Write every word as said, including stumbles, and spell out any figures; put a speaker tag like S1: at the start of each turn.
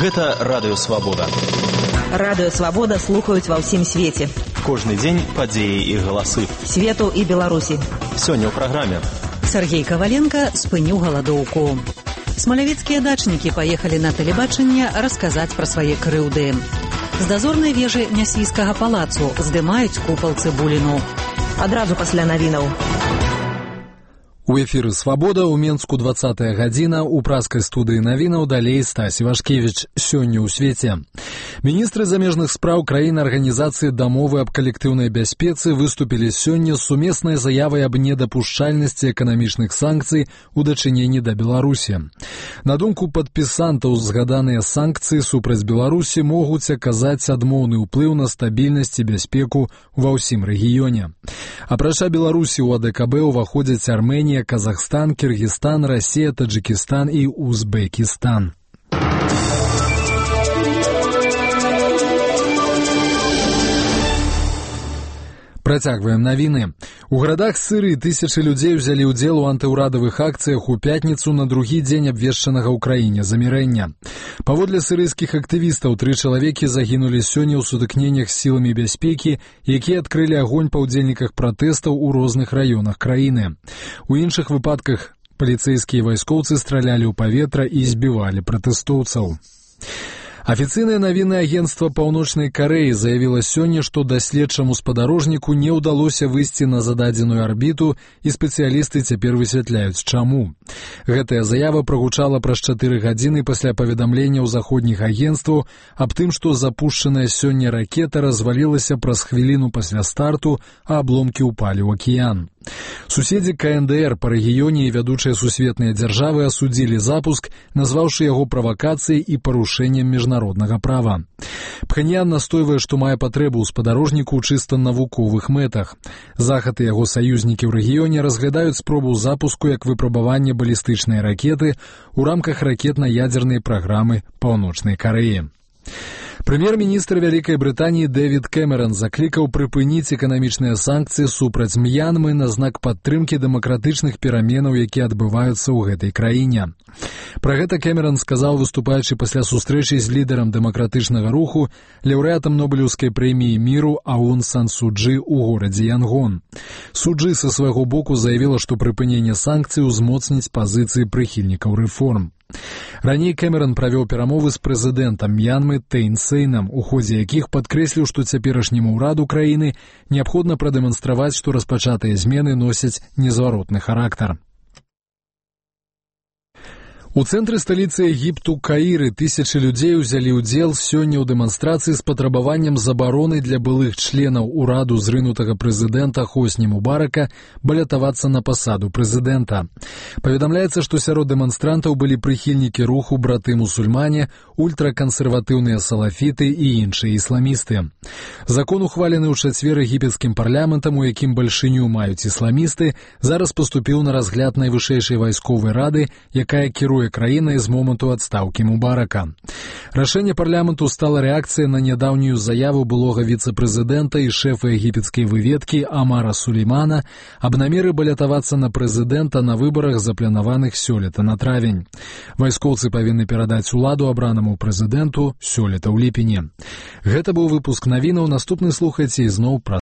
S1: Гэта Радыё Свабода.
S2: Радыё Свабода слухаюць ва ўсім свеце.
S1: Кожны дзень падзеі і галасы.
S2: Свету і Беларусі.
S1: Сёння ў праграме.
S3: Сергей Коваленко спыніў галадоўку. Смалявіцкія дачнікі паехалі на тэлебачанне расказаць пра свае крыўды. З дазорнай вежы Нясвійскага палацу здымаюць купал Цыбуліну.
S2: Адразу пасля навінаў.
S4: У эфіры «Свабода» ў Менску двадцатая гадзіна, у праскай студыі навінаў далей Стась Івашкевіч. Сёння ў свеце. Міністры замежных спраў краін Арганізацыі дамовы аб калектыўнай бяспецы выступілі сёння з сумеснай заявай аб недапушчальнасці эканамічных санкцый у дачыненні да Беларусі. На думку падпісантаў, згаданыя санкцыі супраць Беларусі могуць аказаць адмоўны ўплыў на стабільнасць і бяспеку ва ўсім рэгіёне. Апрача Беларусі ў АДКБ уваходзяць Арменія, Казахстан, Кыргызстан, Россия, Таджикистан и Узбекистан. Працягваем навіны. У гарадах Сырыі тысячы людзей узялі ўдзел у антыўрадавых акцыях у пятніцу на другі дзень абвешчанага ў краіне замірэння. Паводле сырыйскіх актывістаў, тры чалавекі загінулі сёння ў сутыкненнях з сіламі бяспекі, якія адкрылі агонь па ўдзельніках пратэстаў у розных раёнах краіны. У іншых выпадках паліцэйскія вайскоўцы стралялі ў паветра і збівалі пратэстоўцаў. Афіцыйнае навіннае агенцтва Паўночнай Карэі заявіла сёння, што даследчаму спадарожніку не ўдалося выйсці на зададзеную арбіту, і спецыялісты цяпер высвятляюць, чаму. Гэтая заява прагучала праз чатыры гадзіны пасля паведамленняў заходніх агенцтваў аб тым, што запушчаная сёння ракета развалілася праз хвіліну пасля старту, а абломкі ўпалі ў акіян. Суседзі КНДР па рэгіёне і вядучыя сусветныя дзяржавы асудзілі запуск, назваўшы яго правакацыяй і парушэннем міжнароднага права. Пхэньян настойвае, што мае патрэбу ў спадарожніку ў чыста навуковых мэтах. Захад і яго саюзнікі ў рэгіёне разглядаюць спробу запуску як выпрабаванне балістычнай ракеты ў рамках ракетна-ядзернай праграмы Паўночнай Карэі. Прэм'ер-міністр Вялікай Брытаніі Дэвід Кэмеран заклікаў прыпыніць эканамічныя санкцыі супраць М'янмы на знак падтрымкі дэмакратычных пераменаў, якія адбываюцца ў гэтай краіне. Пра гэта Кэмеран сказаў, выступаючы пасля сустрэчы з лідарам дэмакратычнага руху, лаўрэатам Нобелеўскай прэміі міру Аун Сан Су Чжы ў горадзе Янгон. Су Чжы са свайго боку заявіла, што прыпыненне санкцый узмоцніць пазіцыі прыхільнікаў рэформ. Раней Кэмеран правёў перамовы з прэзідэнтам М'янмы Тэйн Сейнам, у ходзе якіх падкрэсліў, што цяперашняму ўраду краіны неабходна прадэманстраваць, што распачатыя змены носяць незваротны характар. У цэнтры сталіцы Егіпту Каіры тысячы людзей узялі ўдзел сёння ў дэманстрацыі з патрабаваннем забароны для былых членаў ураду зрынутага прэзідэнта Хосні Мубарака балятавацца на пасаду прэзідэнта. Паведамляецца, што сярод дэманстрантаў былі прыхільнікі руху браты-мусульмане, ультракансерватыўныя салафіты і іншыя ісламісты. Закон, ухвалены ў чацвер егіпецкім парламентам, у якім бальшыню маюць ісламісты, зараз паступіў на разгляд найвышэйшай вайсковай рады, якая кіруе краінай з моманту адстаўкі Мубарака. Рашэнне парламенту стала рэакцыяй на нядаўнюю заяву былога віцэ-прэзідэнта і шэфа егіпецкай выведкі Амара Сулеймана аб намеры балятавацца на прэзідэнта на выбарах, запланаваных сёлета на травень. Вайскоўцы павінны перадаць уладу абранаму прэзідэнту сёлета ў ліпені. Гэта быў выпуск навінаў, наступны слухайце ізноў пра